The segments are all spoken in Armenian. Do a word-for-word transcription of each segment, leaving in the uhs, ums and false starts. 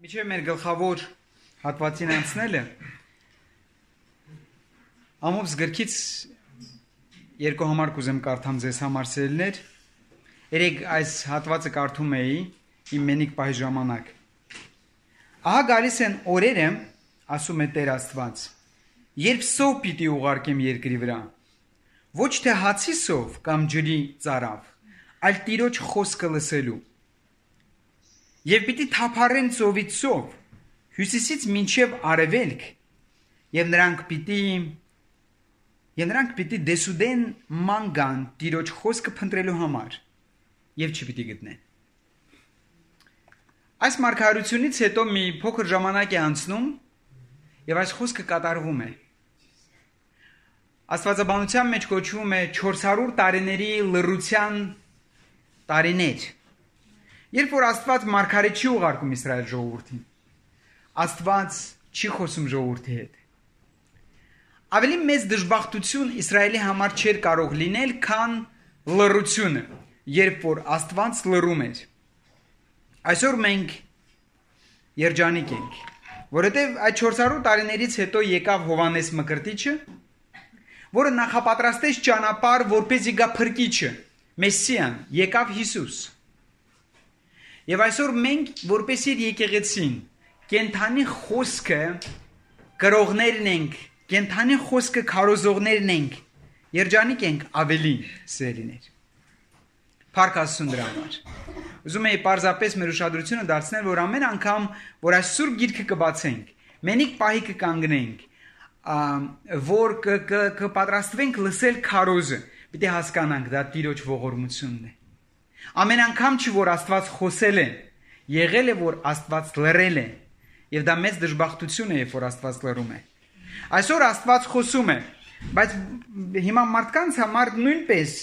Միջև մեր գլխավոր հատվածին անցնելը ամոբս գրքից երկու համար կուզեմ կարդամ ձեզ համար սերներ երեք այս հատվածը կարդում էի իմ մենիկ պահի ժամանակ ահա գալիս են օրերը ասում է Տեր Աստված երբ սով պիտի ուղարկեմ երկրի վրա ոչ թե հացի սով կամ ջրի ծարավ այլ Տիրոջ խոսքը լսելու Եվ պիտի թափառեն ծովից ծով, հյուսիսից մինչև արևելք, և նրանք պիտի, և նրանք պիտի դեսուդեն ման գան Տիրոջ խոսքը փնտրելու համար, և չպիտի գտնեն։ Այս մարգարությունից հետո մի փոքր ժամանակ է անցնում, և այս խոսքը կատարվում է։ Աստվածաբանության մեջ կոչվում է չորս հարյուր տարիների լռության տարիներ։ Երբ որ Աստված մարգարե չի ուղարկում Իսրայել ժողովրդին, Աստված չի խոսում ժողովրդի հետ։ Ավելի մեծ դժբախտություն Իսրայելի համար չէր կարող լինել, քան լռությունը, երբ որ Աստված լռում էր։ Այսօր մենք երջանիկ ենք, որովհետև այդ չորս հարյուր տարիներից հետո եկավ Հովհաննես Մկրտիչը, որը նախապատրաստեց ճանապարհ, որպեսզի գա Փրկիչը, Մեսսիան, եկավ Հիսուս։ Եվ այսօր մենք, որպես իր եկեղեցին, կենթանի խոսքը կրողներն ենք, կենթանի խոսքը քարոզողներն ենք, երջանիկ ենք ավելի սերիներ։ Փառք Աստծուն դրա համար։ Ուզում եի պարզապես մեր ուշադրությունը դարձնել, որ ամեն անգամ, որ այս սուրբ գիրքը կբացենք, մենիկ պահի կկանգնենք, որ կպատրաստվենք լսել քարոզը, պիտի հասկանանք, դա Տիրոջ ողորմությունն է։ Ամեն անգամ չի, որ Աստված խոսել է, եղել է, որ Աստված լռել է, և դա մեծ դժբախտություն է, երբ որ Աստված լռում է։ Այսօր Աստված խոսում է, բայց հիմա մարդկանց համար նույնպես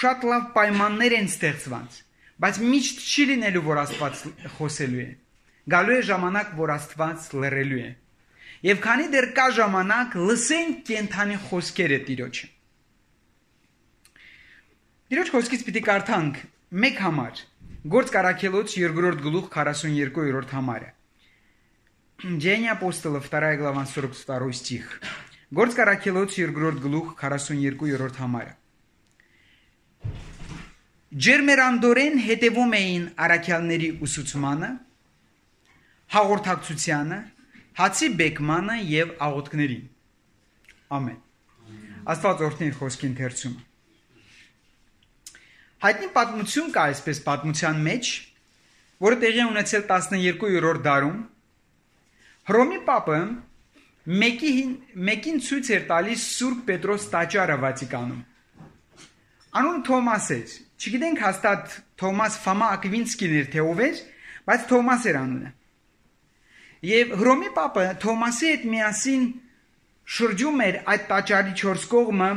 շատ լավ պայմաններ են ստեղծված, բայց միշտ չի լինելու, որ Աստված խոսելու է։ Գալու է ժամանակ, որ Աստված լռելու է։ Եվ քանի դեռ կա ժամանակ, լսենք կենթանի խոսքերը Տիրոջը։ Տիրոջ խոսքից պիտի կարդանք մեկ համար, Գործ Առաքելոց երկրորդ գլուխ քառասունյոթերորդ համարը։ Деяния апостолов, вторая глава, сорок второй стих. Գործ Առաքելոց երկրորդ գլուխ քառասունյոթերորդ համարը։ Ջերմերանդորեն հետևում էին առաքյալների ուսուցմանը, հաղորդակցությանը, հացի բեկմանը և աղոթքներին։ Ամեն։ Աստված օրհնի իր խոսքի ընթերցումը։ Հայտնի պատմություն կա այսպես պատմության մեջ, որը տեղի է ունեցել տասներկուերորդ դարում, Հռոմի պապը մեկին, մեկին ցույց էր տալիս Սուրբ Պետրոս տաճարը Վատիկանում։ Անունը Թոմաս էր, չգիտենք հաստատ Թոմաս Ֆոմա Ակվինսկին էր, թե ով էր, բայց Թոմաս էր անունը։ Եվ Հռոմի պապը Թոմասի հետ միասին շրջում էր այդ տաճարի չորս կողմը,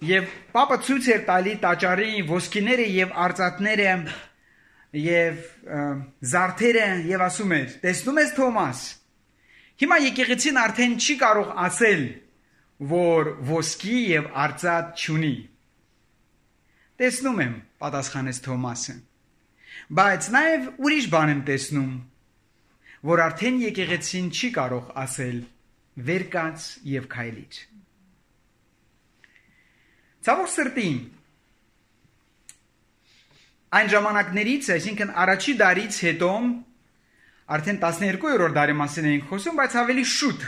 Եվ պապը ցույց էր տալի տաճարի ոսկիները և արծաթները և զարդերը և ասում էր. տեսնում ես Թոմաս, հիմա եկեղեցին արդեն չի կարող ասել, որ ոսկի և արծաթ չունի։ Տեսնում եմ, պատասխանեց Թոմասը, բայց նաև ուրիշ բան եմ տեսնում, որ արդեն եկեղեցին չի կարող ասել վեր կաց և քայլիր։ Ցավոք սրտի, այն ժամանակներից, այսինքն առաջի դարից հետո, արդեն տասներկուերորդ դարի մասին էինք խոսում, բայց ավելի շուտ,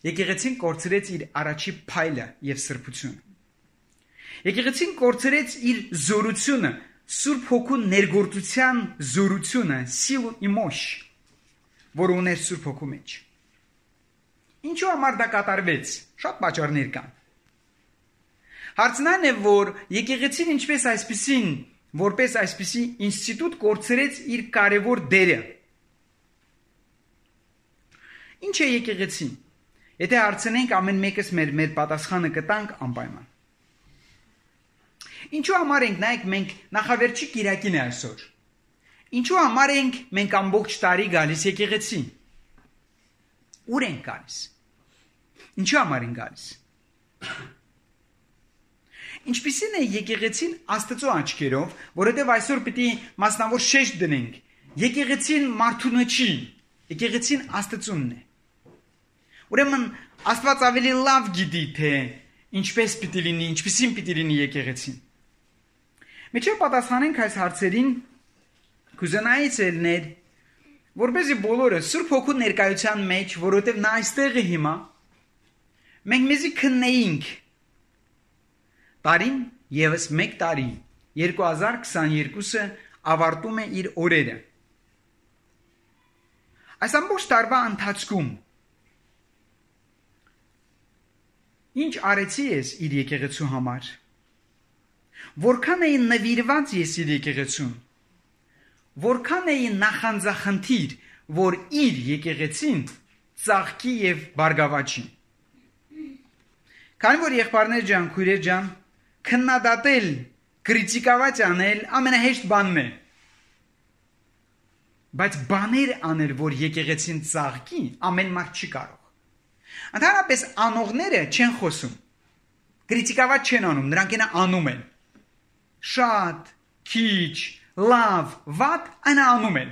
եկեղեցին կորցրեց իր առաջի փայլը և սրբությունը։ Եկեղեցին կորցրեց իր զորությունը, Սուրբ Հոգու ներգործության զորությունը, սիլու իմոշ, որը ուներ Սուրբ Հոգու մեջ։ Ինչու համար դա կատարվեց, շատ պատճառներ կան։ Հարցն այն է, որ եկեղեցին ինչպես այսպիսին, որպես այսպիսի ինստիտուտ կորցրեց իր կարևոր դերը։ Ինչ է եկեղեցին։ Եթե հարցնենք ամեն մեկս մեր մեր պատասխանը կտանք անպայման։ Ինչու համար ենք նայեք մենք նախավերջի կիրակին է այսօր։ Ինչու համար ենք մենք ամբողջ տարի գալիս եկեղեցին։ Ուր ենք գալիս։ Ինչու համար ենք գալիս։ Ինչպիսին է եկեղեցին Աստծո աչքերով, որովհետև այսօր պիտի մասնավոր շեշտ դնենք։ Եկեղեցին մարդունը չի, Եկեղեցին Աստծունն է։ Ուրեմն Աստված ավելի լավ գիտի, թե ինչպես պիտի լինի, ինչպիսին պիտի լինի եկեղեցին։ Մեջը պատասխանենք այս հարցերին կուզենայի ցելներ, որպեսզի բոլորը Սուրբ Հոգու ներկայության մեջ, որովհետև նա այստեղ է հիմա, մենք մեզի քննեինք տարին եւս մեկ տարի երկու հազար քսաներկուսը ավարտում է իր օրերը։ Այս ամբողջ տարվա ընթացքում ինչ արեցի ես իր եկեղեցու համար։ Որքան էի նվիրված ես իր եկեղեցուն։ Որքան էի նախանձախնդիր, որ իր եկեղեցին ծաղկի եւ բարգավաճի։ Քանի որ եղբայրներ ջան, քույրեր ջան, քննադատել, կրիտիկավաճ անել ամենահեշտ բանն է։ Բայց բաներ անել, որ եկեղեցին ծաղկի, ամեն մարդ չի կարող։ Ընդհանրապես անողները չեն խոսում։ Կրիտիկավաճ չեն անում, նրանք են անում են։ Շատ, քիչ, լավ, վատ, այն անում են։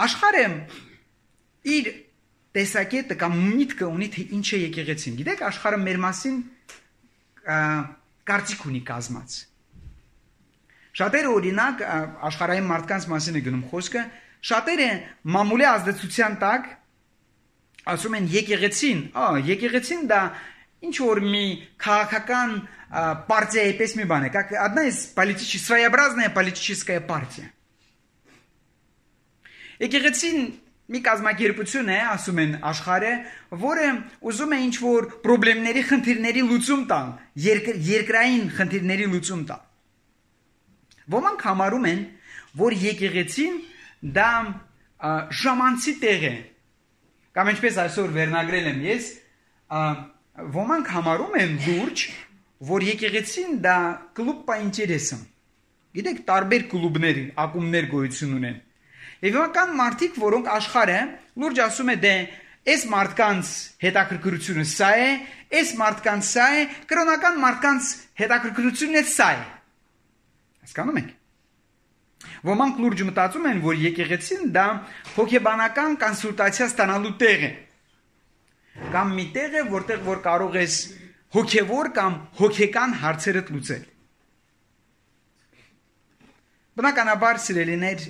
Աշխարհը իր տեսակետը կամ միտքը ունի, թե ինչ է եկեղեցին։ Գիտեք, աշխարհը մեր մասին կարծիք ունի կազմած։ Շատերը օրինակ աշխարհային մարդկանց մասին է գնում խոսքը, շատերը մամուլի ազդեցության տակ ասում են եկեղեցին, ա, եկեղեցին դա ինչ որ մի քաղաքական партия պես մի բան է, как одна из политических, своеобразная политическая партия։ Եկեղեցին մի կազմակերպություն է, ասում են աշխարհը, որը ուզում է ինչ որ խնդիրների, խնդիրների լուծում տալ, երկրային խնդիրների լուծում տալ։ Ոմանք համարում են, որ եկեղեցին դա ժամանցի տեղ է։ Կամ ինչպես այսօր վերնագրել եմ ես, ոմանք համարում են լուրջ, որ եկեղեցին դա կլուբ по интересам։ Գիտեք, տարբեր կլուբներ, ակումբներ գոյություն ունեն։ Եվ կան մարդիկ, որոնք աշխարհը լուրջ ասում է դե այս մարդկանց հետաքրքրությունը սա է, այս մարդկանց սա է, կրոնական մարդկանց հետաքրքրությունը սա է։ Հասկանում եք։ Ոմանք լուրջ մտածում են, որ եկեղեցին դա հոգեբանական կոնսուլտացիա ստանալու տեղ է։ Կամ մի տեղ է, որտեղ որ կարող ես հոգևոր կամ հոգեկան հարցերդ լուծել։ Բնականաբար սիրելիներ,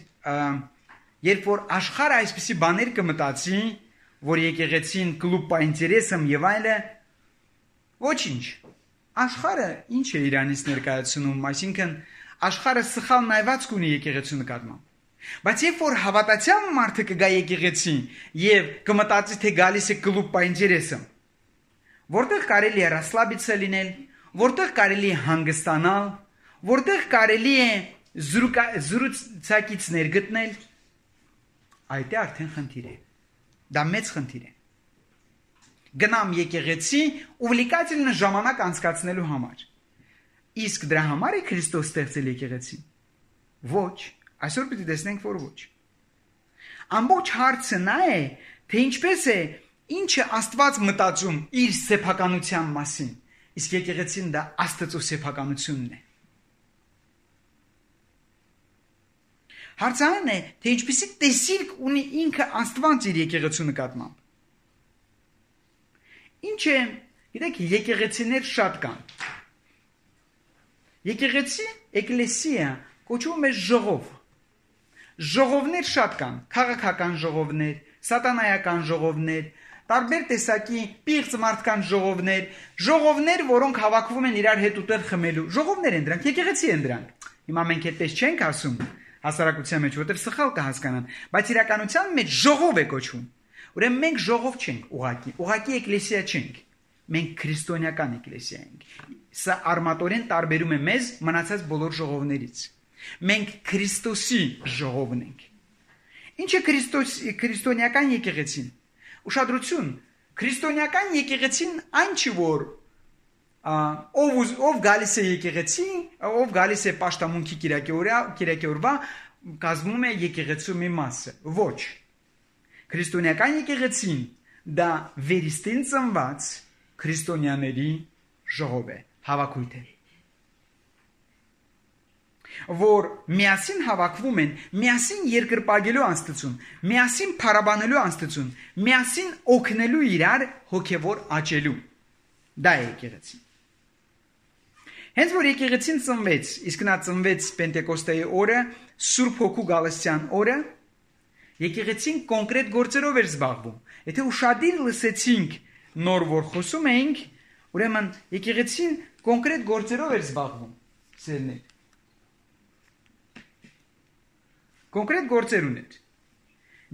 երբ որ աշխարհը այսպիսի բաներ կմտածի, որ եկեղեցին կլուբ по интересам եւ այլը, ոչինչ։ Աշխարհը ինչ է Իրանից ներկայացնում, այսինքն աշխարհը սխալ նայված կունի եկեղեցու նկատմամբ։ Բայց երբ որ հավատացյալ մարդը կգա եկեղեցի եւ կմտածի թե գալիս է կլուբ по интересам, որտեղ կարելի է ռասլաբիցը լինել, որտեղ կարելի է հանգստանալ, որտեղ կարելի է զրուցակիցներ գտնել, այդ է արդեն խնդիր է։ Դա մեծ խնդիր է։ Գնամ եկեղեցի ուվլիկательно ժամանակ անցկացնելու համար։ Իսկ դրա համար է Քրիստոս ստեղծել եկեղեցին։ Ոչ, այսօր պիտի տեսնենք, որ ոչ։ Ամբողջ հարցը նա է, թե ինչպես է, ինչ է Աստված մտածում իր սեփականության մասին, իսկ եկեղեցին դա Աստծո սեփականությունն է։ Հարցը այն է, թե ինչպեսի տեսիլք ունի ինքը Աստված իր եկեղեցու նկատմամբ։ Ինչ է, գիտեք, եկեղեցիներ շատ կան։ Եկեղեցի, էկլեսիա կոչվում է ժողով։ Ժողովներ շատ կան, քաղաքական ժողովներ, սատանայական ժողովներ, տարբեր տեսակի պիղծ մարդկանց ժողովներ, ժողովներ, որոնք հավաքվում են իրար հետ ուտել խմելու։ Ժողովներ են դրանք, եկեղեցի են դրանք։ Հիմա մենք այդպես չենք ասում հասարակության մեջ, որտեղ սխալ կհասկանան, բայց իրականության մեջ ժողով է կոչվում։ Ուրեմն մենք ժողով չենք ուղակի, ուղակի էկլեսիա չենք։ Մենք քրիստոնեական էկլեսիա ենք։ Սա արմատորեն տարբերում է մեզ մնացած բոլոր ժողովներից։ Մենք Քրիստոսի ժողովն ենք։ Ինչ է Քրիստոս քրիստոնեական եկեղեցին։ Ուշադրություն, քրիստոնեական եկեղեցին այն չի, որ ով ով գալիս է եկեղեցի, ով գալիս է պաշտամունքի կիրակի օրվա, կազմում է եկեղեցու մի մասը։ Ոչ։ Քրիստոնեական եկեղեցին դա վերստին ծնված քրիստոնյաների ժողով է, հավաքույթ է։ որ միասին հավաքվում են, միասին երկրպագելու անձնություն, միասին փառաբանելու անձնություն, միասին օգնելու իրար հոգևոր աճելու։ Դա է եկեղեցին։ Հենց որ եկեղեցին ծնվեց, իսկ նա ծնվեց Պենտեկոստեի օրը, Սուրբ Հոգու գալստյան օրը, եկեղեցին կոնկրետ գործերով էր զբաղվում։ Եթե ուշադիր լսեցինք նոր որ խոսում էինք, ուրեմն եկեղեցին կոնկրետ գործերով էր զբաղվում։ Սերներ։ Կոնկրետ գործեր ուներ։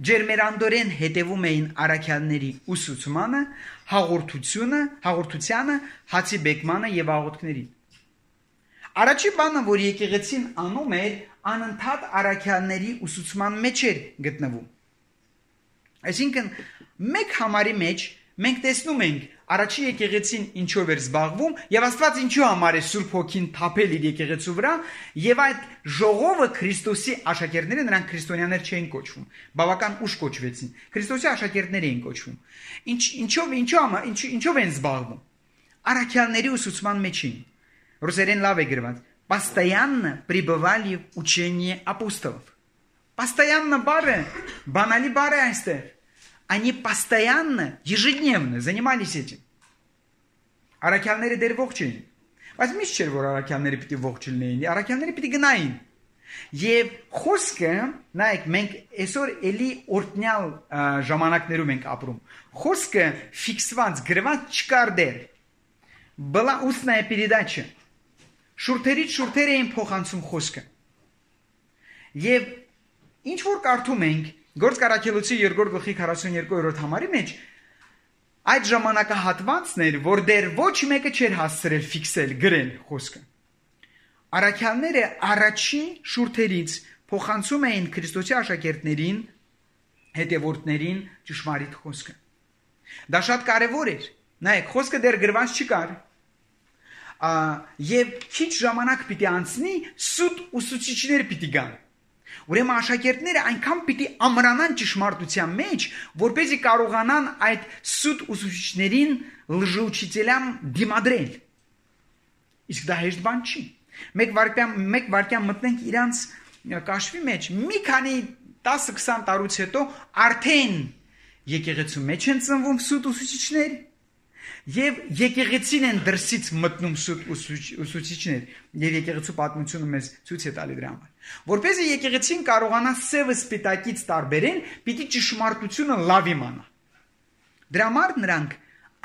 Ջերմերանդորեն հետևում էին առաքյալների ուսուցմանը, հաղորդությունը, հաղորդությանը, հացի բեկմանը եւ աղոթքներին։ Առաջի բանը, որ եկեղեցին անում էր, անընդհատ առաքյալների ուսուցման մեջ էր գտնվում։ Այսինքն, մեկ համարի մեջ մենք տեսնում ենք առաջի եկեղեցին ինչով էր զբաղվում եւ Աստված ինչու համար է Սուրբ Հոգին թափել իր եկեղեցու վրա եւ այդ ժողովը Քրիստոսի աշակերտները, նրանք քրիստոնյաներ չէին կոչվում, բավական ուշ կոչվեցին, Քրիստոսի աշակերտներ էին кочվում։ Ինչ ինչով ինչու ինչ ինչով են զբաղվում։ Առաքյալների ուսուցման մեջ էին։ Ռուսերեն լավ է գրված. Постоянно пребывали в учении апостолов. Постоянно бары, банали бары айстер. Они постоянно, ежедневно занимались этим. Առաքյալները դեր ողջ էին։ Բայց միշտ չէր որ առաքյալները պիտի ողջ լինեին, առաքյալները պիտի գնային։ Եվ խոսքը, նայեք, մենք այսօր էլի օրտնյալ ժամանակներում ենք ապրում։ Խոսքը ֆիքսված, գրված չկար դեր։ Была устная передача. Շուրթերից շուրթեր էին փոխանցում խոսքը։ Եվ ինչ որ կարդում ենք Գործք առաքելոցի երկրորդ գլխի քառասունյոթերորդ համարի մեջ այդ ժամանակահատվածն էր, որ դեռ ոչ մեկը չէր հասցրել ֆիքսել գրել խոսքը։ Առաքյալները առաջին շուրթերից փոխանցում էին Քրիստոսի աշակերտներին, հետևորդներին ճշմարիտ խոսքը։ Դա շատ կարևոր էր։ Նայեք, խոսքը դեռ գրված չկար։ Եվ քիչ ժամանակ պիտի անցնի, սուտ ուսուցիչներ պիտի գան։ Ուրեմն աշակերտները այնքան պիտի ամրանան ճշմարտության մեջ, որպեսզի կարողանան այդ սուտ ուսուցիչներին լժուչителям դիմադրել։ Իսկ դա հեշտ բան չի։ Մեկ վարքյան մեկ վարքյան մտնենք իրանց կաշվի մեջ, մի քանի տասը քսան տարուց հետո արդեն եկեղեցու մեջ են ծնվում սուտ ուսուցիչներ, եւ եկեղեցին են դրսից մտնում սուտ ուսուցիչներ, եւ եկեղեցու պատմությունը մեզ ցույց է տալի դրա համար։ Որպեսզի եկեղեցին կարողանա սևը սպիտակից տարբերեն, պիտի ճշմարտությունը լավ իմանա։ Դրա համար նրանք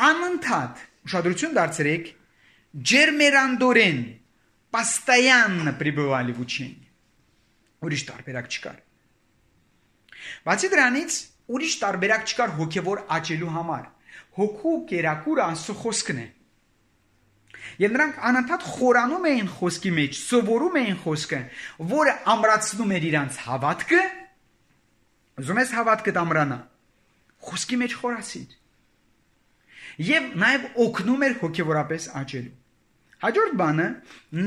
անընդհատ ուշադրություն դարձրեք, ջերմերանդորեն, постоянно пребывали в учении։ Ուրիշ տարբերակ չկար։ Բացի դրանից, ուրիշ տարբերակ չկար հոգևոր աճելու համար։ Հոգու կերակուրը Աստծո խոսքն է։ Եվ նրանք անընդհատ խորանում էին խոսքի մեջ, սովորում էին խոսքը, որը ամրացնում էր իրանց հավատքը։ Ուզում ես հավատքդ ամրանա, խոսքի մեջ խորացիր։ Եվ նաև օգնում էր հոգևորապես աճելու։ Հաջորդ բանը,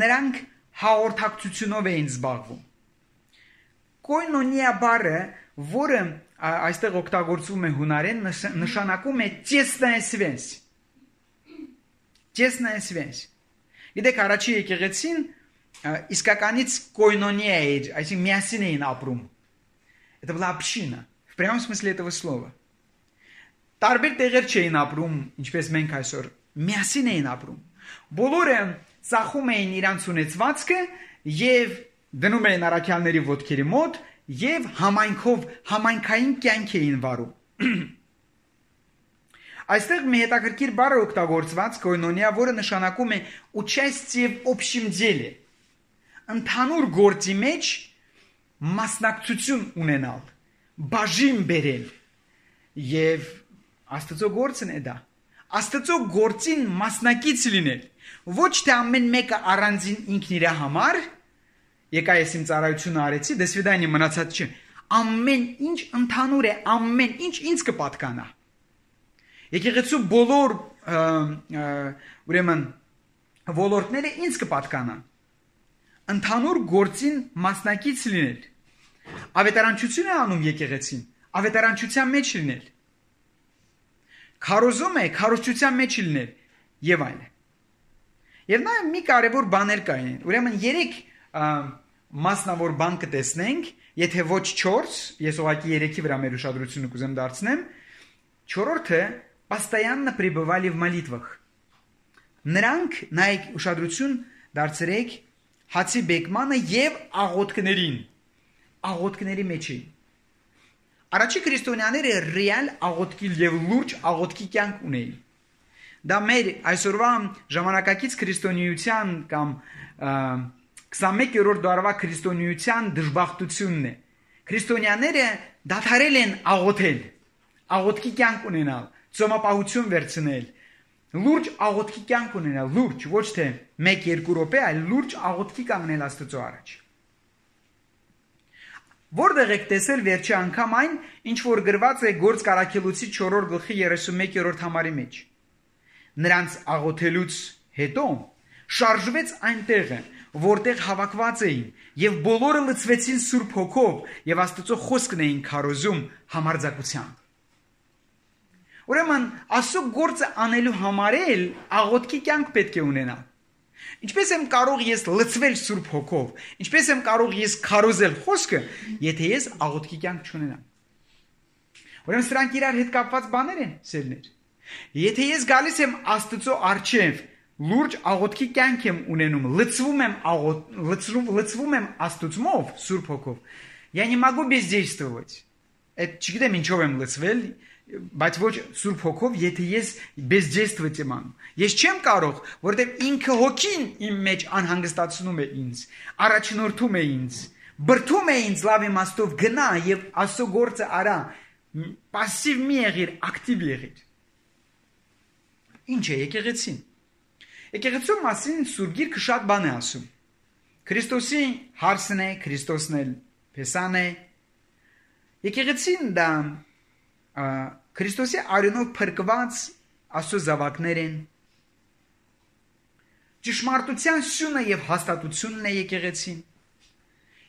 նրանք հաղորդակցությունով էին զբաղվում։ Կոյնոնիա բառը, որը այստեղ օգտագործվում է հունարեն, նշանակում է тесная связь։ Тесная связь։ Գիտեք, առաջի եկեղեցին իսկականից կոյնոնիա էր, այսինքն միասին էին ապրում։ Это была община, в прямом смысле этого слова։ Տարբեր տեղեր չէին ապրում, ինչպես մենք այսօր, միասին էին ապրում։ Բոլորը ծախում էին իրանց ունեցվածքը եւ դնում էին առաքյալների ոտքերի մոտ եւ համայնքով համայնքային կյանք էին վարում։ Այստեղ մի հետաքրքիր բառ է օգտագործված կոյնոնիա, որը նշանակում է участие в общем деле։ Ընդհանուր գործի մեջ մասնակցություն ունենալ, բաժին բերել։ Եվ Աստծո գործն է դա։ Աստծո գործին մասնակից լինել։ Ոչ թե ամեն մեկը առանձին ինքն իր համար, եկա ես իմ ծառայությունը արեցի, դե սվիդանի մնացած չի։ Ամեն ինչ ընդհանուր է, ամեն ինչ ինձ կպատկանա։ Եկեղեցու բոլոր ուրեմն ոլորտները ինձ կպատկանան։ Ընդհանուր գործին մասնակից լինել։ Ավետարանչություն է անում եկեղեցին, ավետարանչության մեջ լինել։ Քարոզում է, քարոզչության մեջ լինել եւ այլն։ Եվ նա մի կարևոր բաներ կային։ Ուրեմն երեք մասնավոր բան կտեսնենք, եթե ոչ չորս, ես ուղղակի երեքի վրա մեր ուշադրությունը կուզեմ դարձնեմ, չորրորդը постоянно пребывали в молитвах. Նրանք նայեք ուշադրություն դարձրեք հացի բեկմանը եւ աղոթքներին, աղոթքների մեջ էին. Առաջի քրիստոնյաները ռեալ աղոթքի եւ լուրջ աղոթքի կյանք ունեին. Դա մեր այսօրվա ժամանակակից քրիստոնեության կամ քսանմեկերորդ դարվա քրիստոնեության դժբախտությունն է. Քրիստոնյաները դադարել են աղոթել, աղոթքի կյանք ունենալ, ծոմապահություն վերցնել, լուրջ աղոթքի կյանք ունենալ, լուրջ, ոչ թե մեկ-երկու րոպե, այլ լուրջ աղոթքի կանգնել Աստծո առաջ. Որտեղ եք տեսել վերջի անգամ այն, ինչ որ գրված է Գործք առաքելոցի չորրորդ գլխի երեսունմեկերորդ համարի մեջ. Նրանց աղոթելուց հետո շարժվեց այն տեղը, որտեղ հավաքված էին, եւ բոլորը լցվեցին Սուրբ Հոգով եւ Աստծո խոսքն էին քարոզում համարձակությամբ. Ուրեմն Աստծո գործը անելու համար էլ աղոթքի կյանք պետք է ունենալ. Ինչպես եմ կարող ես լցվել Սուրբ Հոգով, ինչպես եմ կարող ես քարոզել խոսքը, եթե ես աղոթքի կյանք չունենամ. Ուրեմն սրանք իրար հետ կապված բաներ են, սերներ. Եթե ես գալիս եմ Աստծո առջև, լուրջ աղոթքի կյանք եմ ունենում, լցվում եմ աղոթ, լցվում, լցվում եմ Աստծմով, Սուրբ Հոգով, я не могу бездействовать. Այդ չգիտեմ ինչով եմ լցվել, բայց ոչ Սուրբ Հոգով, եթե ես бездействовать եմ անում. Ես չեմ կարող, որովհետև ինքը Հոգին իմ մեջ անհանգստացնում է ինձ, առաջնորդում է ինձ, բրդում է ինձ լավ իմաստով գնա եւ Աստծո գործը արա, пассив մի եղիր, ակտիվ եղիր. Ինչ է եկեղեցին? Եկեղեցու մասին Սուրբ Գիրքը շատ բան է ասում. Քրիստոսի հարսն է, Քրիստոսն էլ փեսան է. Եկեղեցին դա Քրիստոսի արյունով փրկված Աստծո զավակներ են. ճշմարտության սյունը եւ հաստատությունն է եկեղեցին.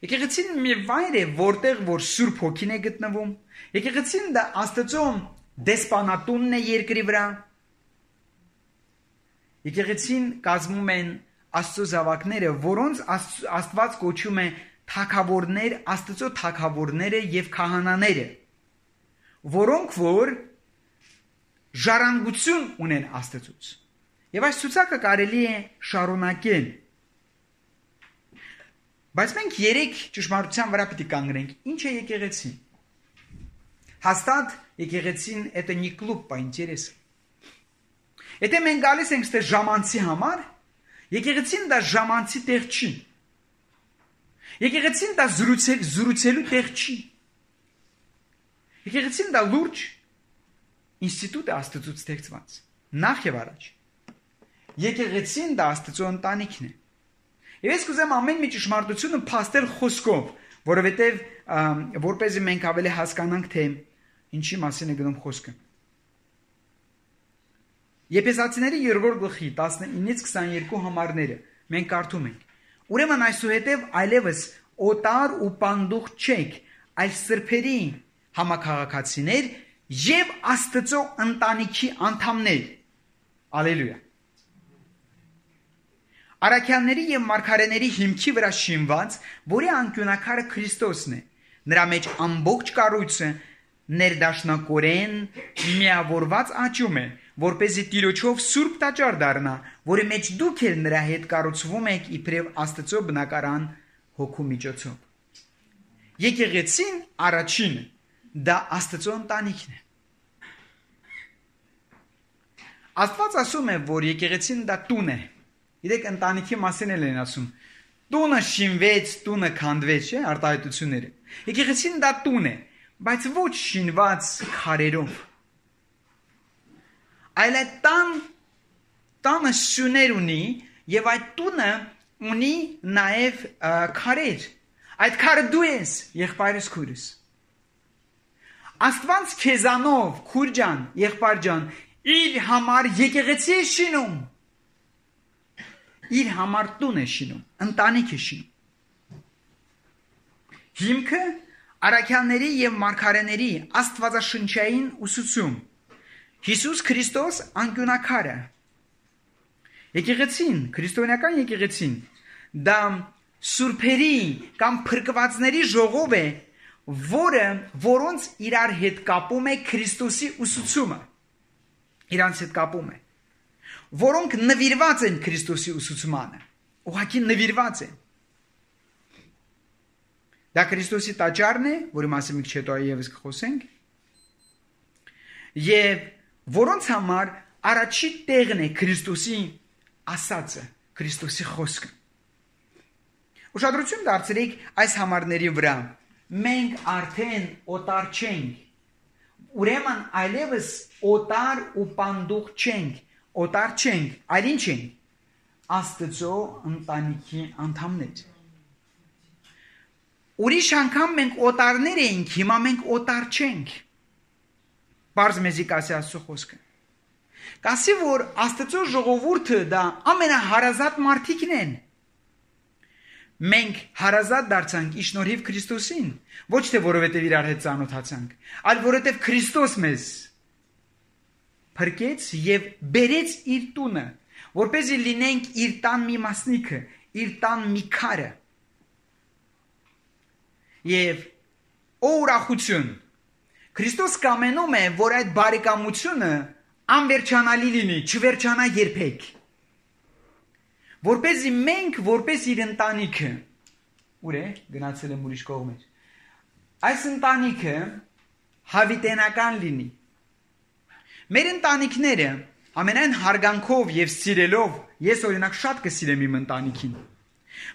Եկեղեցին մի վայր է, որտեղ որ Սուրբ Հոգին է գտնվում. եկեղեցին դա Աստծո դեսպանատունն է երկրի վրա. Եկեղեցին կազմում են Աստծո զավակները, որոնց Աստված կոչում է թագավորներ, Աստծո թագավորները եւ քահանաները, որոնք որ ժառանգություն ունեն Աստծուց. Եվ այս ցուցակը կարելի է շարունակել. Բայց մենք երեք ճշմարտության վրա պետք է կանգնենք. ինչ է եկեղեցին? Հաստատ եկեղեցին это не клуб по интересам. Եթե մենք գալիս ենք ստե ժամանցի համար, եկեղեցին դա ժամանցի տեղ չի. Եկեղեցին դա զրուցել, զրուցելու տեղ չի. Եկեղեցին դա լուրջ ինստիտուտ է Աստծուց ստեղծված. նախ եւ առաջ. Եկեղեցին դա Աստծո ընտանիքն է. Եվ ես կուզեմ ամեն մի ճշմարտությունը փաստել խոսքով, որովհետեւ որպեսզի մենք ավելի հասկանանք, թե ինչի մասին է գնում խոսքը. Եփեսացիների երրորդ գլխի տասնինից քսաներկու համարները մենք կարդում ենք. Ուրեմն այսուհետև այլևս օտար ու պանդուխ չեք, այլ սրբերի համակարգացիներ եւ Աստծո ընտանիքի անդամներ. Ալելույա. Արաքյանների եւ մարգարեների հիմքի վրա շինված, որի անկյունակարը Քրիստոսն է, նրա մեջ ամբողջ կառույցը ներդաշնակորեն միավորված աճում է, որպեսզի Տիրոջով սուրբ տաճար դառնա, որի մեջ դուք էլ նրա հետ կառուցվում եք իբրև Աստծո բնակարան Հոգու միջոցով. Եկեղեցին առաջինը դա Աստծո ընտանիքն է. Աստված ասում է, որ եկեղեցին դա տուն է. Գիտեք, ընտանիքի մասին էլ են ասում. տունը շինվեց, տունը քանդվեց, չէ՞, արտահայտությունները. Եկեղեցին դա տուն է, բայց ոչ շինված քարերով. այլ այդ տան տանը սյուներ ունի եւ այդ տունը ունի նաեւ քարեր. Այդ քարը դու ես, եղբայրս քուրս. Աստված քեզանով, քուր ջան, եղբայր ջան, իր համար եկեղեցի է շինում. իր համար տուն է շինում, ընտանիք է շինում. Հիմքը արաքյանների եւ մարգարեների աստվածաշնչային ուսուցում. Հիսուս Քրիստոս անկյունակարը. Եկեղեցին, քրիստոնեական եկեղեցին, դա սուրբերի կամ փրկվածների ժողով է, որը որոնց իրար հետ կապում է Քրիստոսի ուսուցումը։ Իրանց հետ կապում է, որոնք նվիրված են Քրիստոսի ուսուցմանը, ուղղակի նվիրված են։ Դա Քրիստոսի տաճարն է, որի մասին մի քիչ հետո եւս կխոսենք, եւ որոնց համար առաջի տեղն է Քրիստոսի ասածը, Քրիստոսի խոսքը։ Ուշադրություն դարձրեք այս համարների վրա։ Մենք արդեն օտար չենք, ուրեմն այլևս օտար ու պանդուխ չենք, օտար չենք, այլ ինչ ենք, Աստծո ընտանիքի անդամներ։ Ուրիշ անգամ մենք օտարներ էինք, հիմա մենք օտար չենք։ Բարձ մեզի կասի Աստծո խոսքը։ Կասի, որ Աստծո ժողովուրդը դա ամենահարազատ մարդիկն են։ Մենք հարազատ դարձանք իշնորհիվ Քրիստոսին, ոչ թե որովհետև իրար հետ ծանոթացանք, այլ որովհետև Քրիստոս մեզ փրկեց եւ բերեց իր տունը, որպեսզի լինենք իր տան մի մասնիկը, իր տան մի քարը։ Եվ ո ուրախություն, Քրիստոս կամենում է, որ այդ բարեկամությունը անվերջանալի լինի, չվերջանա երբեք։ Որպեսզի մենք, որպես իր ընտանիքը, ուր է, գնացել եմ ուրիշ կողմեր, այս ընտանիքը հավիտենական լինի։ Մեր ընտանիքները ամենայն հարգանքով եւ սիրելով, ես օրինակ շատ կսիրեմ իմ ընտանիքին,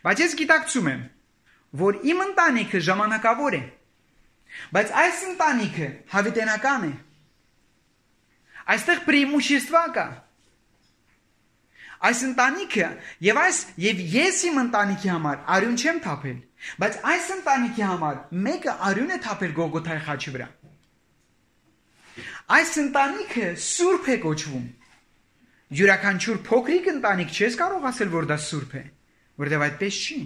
բայց ես գիտակցում եմ, որ իմ ընտանիքը ժամանակավոր է, բայց այս ընտանիքը հավիտենական է։ Այստեղ преимущество կա։ Այս ընտանիքը եւ այս եւ ես իմ ընտանիքի համար արյուն չեմ թափել, բայց այս ընտանիքի համար մեկը արյուն է թափել Գողգոթայի խաչի վրա։ Այս ընտանիքը սուրբ է կոչվում։ Յուրաքանչյուր փոքրիկ ընտանիք չես կարող ասել, որ դա սուրբ է, որտեղ այդպես չի։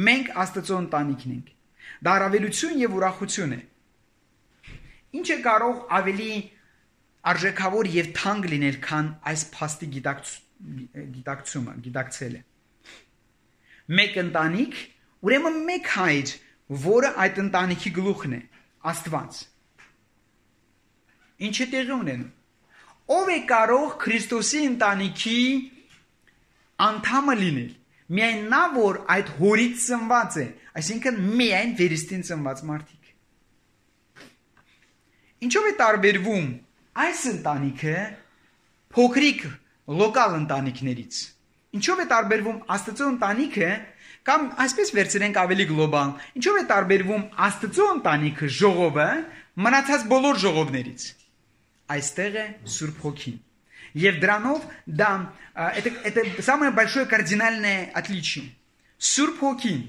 Մենք Աստծո ընտանիքն ենք։ Դա առավելություն եւ ուրախություն է։ Ինչ է կարող ավելի արժեքավոր եւ թանկ լինել, քան այս փաստի գիտակցումը, գիտակցելը։ Մեկ ընտանիք, ուրեմն մեկ հայր, որը այդ ընտանիքի գլուխն է, Աստված։ Ինչ է տեղի ունենում։ Ով է կարող Քրիստոսի ընտանիքի անդամը լինել։ Միայն նա, որ այդ հորից ծնված է, այսինքն միայն վերստին ծնված մարդիկ։ Ինչով է տարբերվում այս ընտանիքը փոքրիկ լոկալ ընտանիքներից։ Ինչով է տարբերվում Աստծո ընտանիքը, կամ այսպես վերցրենք ավելի գլոբալ, ինչով է տարբերվում Աստծո ընտանիքը, ժողովը, մնացած բոլոր ժողովներից։ Այստեղ է Սուրբ Հոգին։ Եվ դրանով դա это это самое большое кардинальное отличие. Սուրբ Հոգին։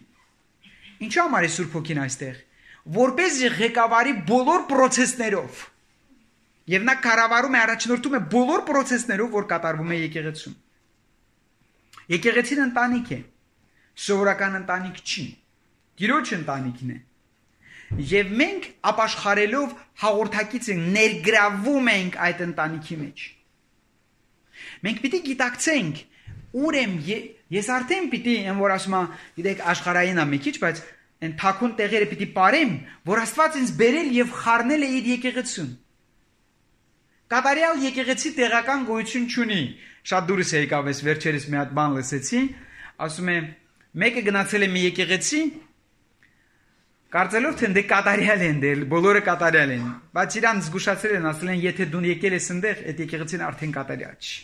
Ինչու՞ համար է Սուրբ Հոգին այստեղ։ Որպեսզի ղեկավարի բոլոր process-ներով։ Եվ նա կառավարում է, առաջնորդում է բոլոր process-ներով, որ կատարվում է եկեղեցում։ Եկեղեցին ընտանիք է, սովորական ընտանիք չի, Տիրոջ ընտանիքն է։ Եվ մենք ապաշխարելով հաղորդակից ենք, ներգրավում ենք այդ ընտանիքի մեջ։ Մենք պիտի գիտակցենք, ուր եմ, ես արդեն պիտի, եմ որ ասում եմ, գիտեք, աշխարհային է մի քիչ, բայց այն թաքուն տեղերը պիտի ապարեմ, որ Աստված ինձ բերել եւ խառնել է իր եկեղեցուն։ Կատարյալ եկեղեցի տեղական գոյություն չունի։ Շատ դուրս է եկավ, ես վերջերս մի հատ բան լսեցի, ասում է, մեկը գնացել է մի եկեղեցի, կարծելով թե դե կատարյալ են, դե բոլորը կատարյալ են, բայց իրան զգուշացրել են, ասել են, եթե դու եկել ես այնտեղ, այդ եկեղեցին արդեն կատարյալ չի։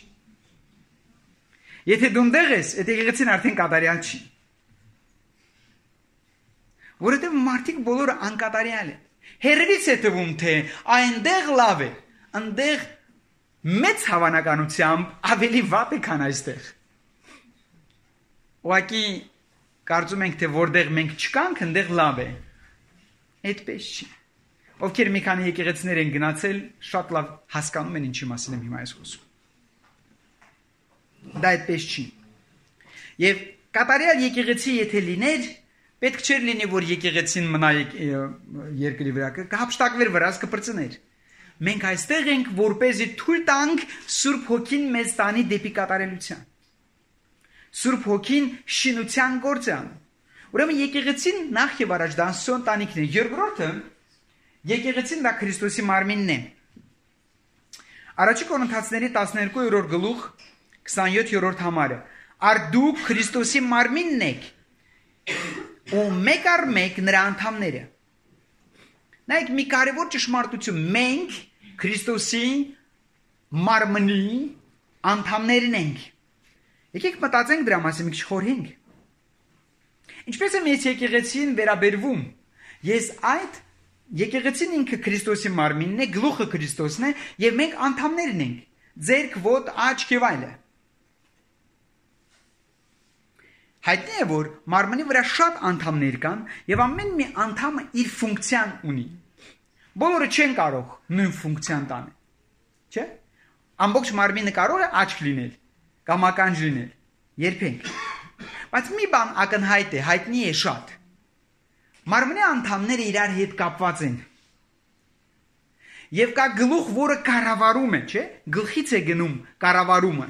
Եթե դու այնտեղ ես, այդ եկեղեցին արդեն կատարյալ չի։ Որովհետև մարդիկ բոլորը անկատարյալ են։ Հերևից է թվում, թե այնտեղ լավ է, այնտեղ մեծ հավանականությամբ ավելի վատ է, քան այստեղ։ Ուղղակի կարծում ենք, թե որտեղ մենք չկանք, այնտեղ լավ է։ Այդպես չի։ Ովքեր մի քանի եկեղեցիներ են գնացել, շատ լավ հասկանում են ինչի մասին եմ հիմա ես խոսում։ Դա այդպես չի։ Եվ կատարյալ եկեղեցի եթե լիներ, պետք չէր լինի, որ եկեղեցին մնա երկրի վրա, կհապշտակվեր վրաս կպրծներ։ Մենք այստեղ ենք, որպեսզի թույլ տանք Սուրբ Հոգին մեզ տանի դեպի կատարելության։ Սուրբ Հոգին շինության գործ է անում։ Ուրեմն եկեղեցին նախ եւ առաջ դա Աստծո ընտանիքն է։ Երկրորդը եկեղեցին դա Քրիստոսի մարմինն է։ Առաջի Կորինթացիների տասներկու գլուխ քսանյոթ համարը։ Ար դուք Քրիստոսի մարմինն եք ու մեկ առ մեկ նրա անդամները։ Նայեք մի կարևոր ճշմարտություն, մենք Քրիստոսի մարմնի անդամներն ենք։ Եկեք մտածենք դրա մասին մի քիչ խորհենք։ Ինչպես է մեծ եկեղեցին վերաբերվում։ Ես այդ եկեղեցին ինքը Քրիստոսի մարմինն է, գլուխը Քրիստոսն է, եւ մենք անդամներն ենք։ Ձերք, ոտ, աչք եւ այլը։ Հայտնի է, որ մարմնի վրա շատ անդամներ կան եւ ամեն մի անդամը իր ֆունկցիան ունի։ Բոլորը չեն կարող նույն ֆունկցիան տանել։ Չէ՞։ Ամբողջ մարմինը կարող է աչք լինել կամ ականջ լինել։ Երբեք։ Բայց մի բան ակնհայտ է, հայտնի է շատ։ Մարմնի անդամները իրար հետ կապված են։ Եվ կա գլուխ, որը կառավարում է, չէ՞։ Գլխից է գնում կառավարումը։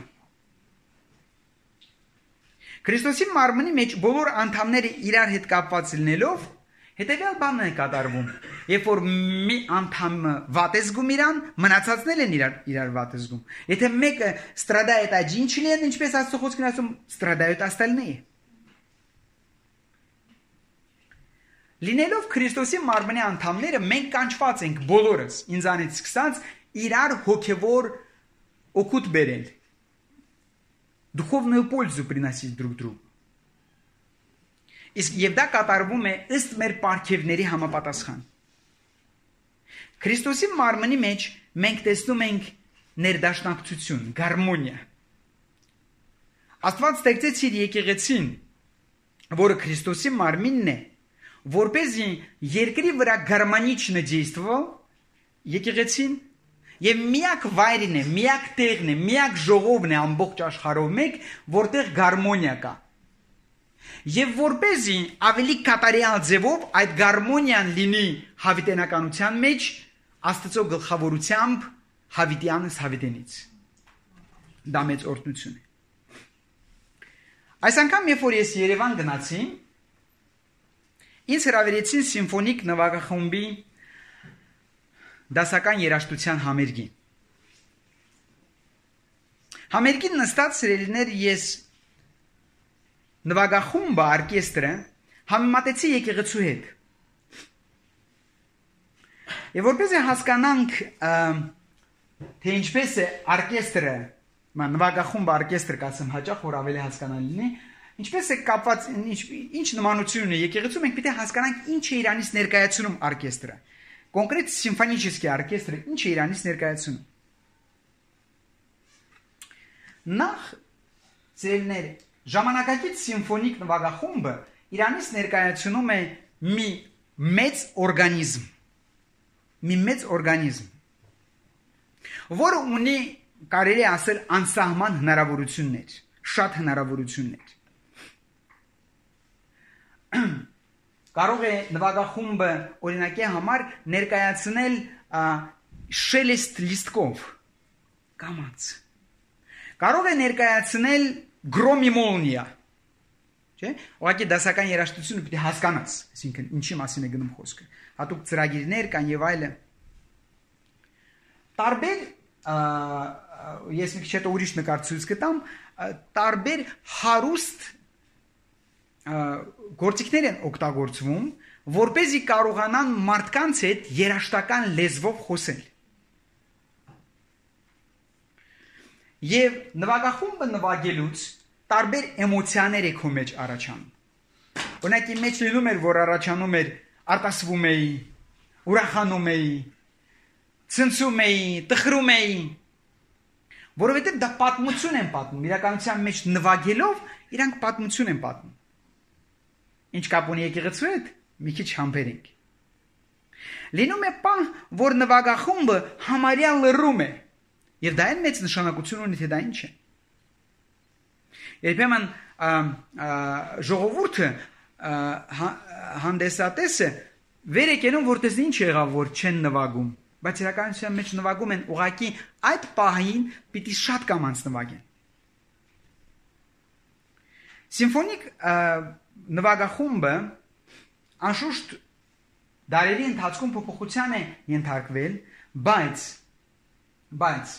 Քրիստոսի մարմնի մեջ բոլոր անդամները իրար հետ կապված լինելով, հետևյալ բանն է կատարվում։ Երբ որ մի անդամը վատ է զգում իրան, մնացածներն են իրար իրար վատ է զգում։ Եթե մեկը страдает один член, ինչպես Աստծո խոսքն ասում, страдают остальные։ Լինելով Քրիստոսի մարմնի անդամները, մենք կանչված ենք բոլորս, ինձանից սկսած, իրար հոգևոր օգուտ բերել։ Духовную пользу приносить друг другу։ Իսկ եւ դա կատարվում է ըստ մեր պարգևների համապատասխան։ Քրիստոսի մարմնի մեջ մենք տեսնում ենք ներդաշնակցություն, գարմոնիա։ Աստված ստեղծեց իր եկեղեցին, որը Քրիստոսի մարմինն է, որպեսզի երկրի վրա гармонично действовал եկեղեցին եւ միակ վայրն է, միակ տեղն է, միակ ժողովն է ամբողջ աշխարհով մեկ, որտեղ գարմոնիա կա։ Եվ որպեսզի ավելի կատարյալ ձևով այդ գարմոնիան լինի հավիտենականության մեջ, Աստծո գլխավորությամբ հավիտյանս հավիտենից։ Դա մեծ օրհնություն է։ Այս անգամ երբ որ ես Երևան գնացի, ինձ հրավիրեցին սիմֆոնիկ նվագախմբի դասական երաժշտության համերգի։ Համերգին նստած սիրելիներ ես նվագախումբը, օրկեստրը համեմատեցի եկեղեցու հետ։ Եվ որպեսզի հասկանանք, թե ինչպես է օրկեստրը, նվագախումբը օրկեստր կասեմ հաճախ, որ ավելի հասկանալի լինի, ինչպես է կապված, ինչ նմանություն ունի եկեղեցու, մենք պետք է հասկանանք ինչ է իրանից ներկայացնում օրկեստրը։ Կոնկրետ սիմֆոնический օրկեստրը ինչ է իրանից ներկայացնում։ Նախ ծերներ ժամանակակից սիմֆոնիկ նվագախումբը իրանից ներկայացնում է մի մեծ օրգանիզմ, մի մեծ օրգանիզմ, որը ունի կարելի է ասել անսահման հնարավորություններ, շատ հնարավորություններ։ Կարող է նվագախումբը օրինակի համար ներկայացնել շելեստ լիստկով կամած։ Կարող է ներկայացնել գրոմի մոլնիա։ Չէ՞։ Ուղղակի դասական երաժշտությունը պետք է հասկանաս, այսինքն ինչի մասին է գնում խոսքը։ Հատուկ ծրագիրներ կան եւ այլն։ Տարբեր ես մի քիչ հետո ուրիշ նկար ցույց կտամ, տարբեր հարուստ գործիքներ են օգտագործվում, որպեսզի կարողանան մարդկանց հետ երաշտական լեզվով խոսել։ Եվ նվագախումբը նվագելուց տարբեր էմոցիաներ է քո մեջ առաջանում։ Օրինակ իմ մեջ լինում էր, որ առաջանում էր արտասվում էի, ուրախանում էի, ցնցում էի, տխրում էի, որովհետև դա պատմություն են պատմում, իրականության մեջ նվագելով իրանք պատմություն են պատմում։ Ինչ կապ ունի եկեղեցու հետ, մի քիչ համբերենք։ Լինում է պահ, որ նվագախումբը համարյա լռում է, եւ դա այն մեծ նշանակություն ունի, թե դա ինչ է։ Երբեմն ժողովուրդը հանդեսատեսը վեր է կենում, որ տեսնի ինչ եղավ, որ չեն նվագում, բայց իրականության մեջ նվագում են, ուղղակի այդ պահին պիտի շատ կամանց նվագեն։ Սիմֆոնիկ նվագախումբը անշուշտ դարերի ընթացքում փոփոխության է ենթարկվել, բայց բայց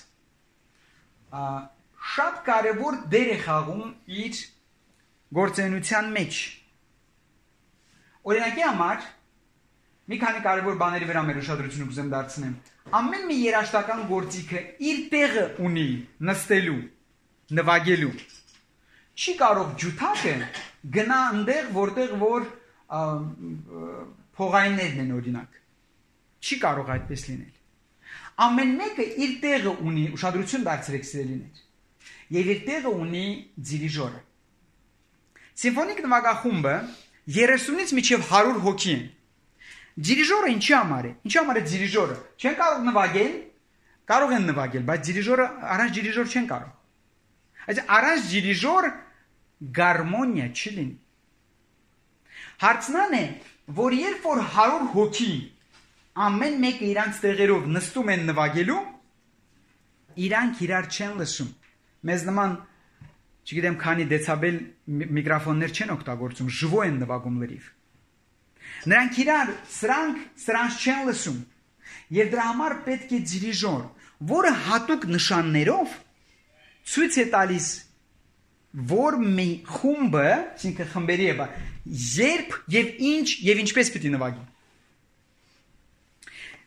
շատ կարևոր դեր է խաղում իր գործունեության մեջ։ Օրինակի համար մի քանի կարևոր բաների վրա մեր ուշադրությունը կուզեմ դարձնեմ։ Ամեն մի երաժշտական գործիքը իր տեղը ունի նստելու, նվագելու։ Չի կարող ջութակը գնա այնտեղ, որտեղ որ փողայիններն են օրինակ։ Չի կարող այդպես լինել։ Ամեն մեկը իր տեղը ունի, ուշադրություն դարձրեք սիրելիներ։ Եվ իր տեղը ունի դիրիժորը։ Սիմֆոնիկ նվագախումբը երեսունից մինչև հարյուր հոգի են։ Դիրիժորը ինչի համար է։ Ինչի համար է դիրիժորը։ Չեն կարող նվագել, կարող են նվագել, բայց դիրիժորը առանց դիրիժոր չեն կարող։ Այս առանց դիրիժոր գարմոնիա չի լինի։ Հարցնան է, որ երբ որ հարյուր հոգի ամեն մեկը իրանց տեղերով նստում են նվագելու, իրանք իրար չեն լսում։ Մեզ նման, չգիտեմ, քանի դեցաբել միկրոֆոններ չեն օգտագործում, ժվո են նվագում լրիվ։ Նրանք իրար սրանք սրանց չեն լսում։ Եվ դրա համար պետք է դիրիժոր, որը հատուկ նշաններով ցույց է տալիս, որ մի խումբը, այսինքն խմբերի է, երբ եւ ինչ եւ ինչպես պիտի նվագի։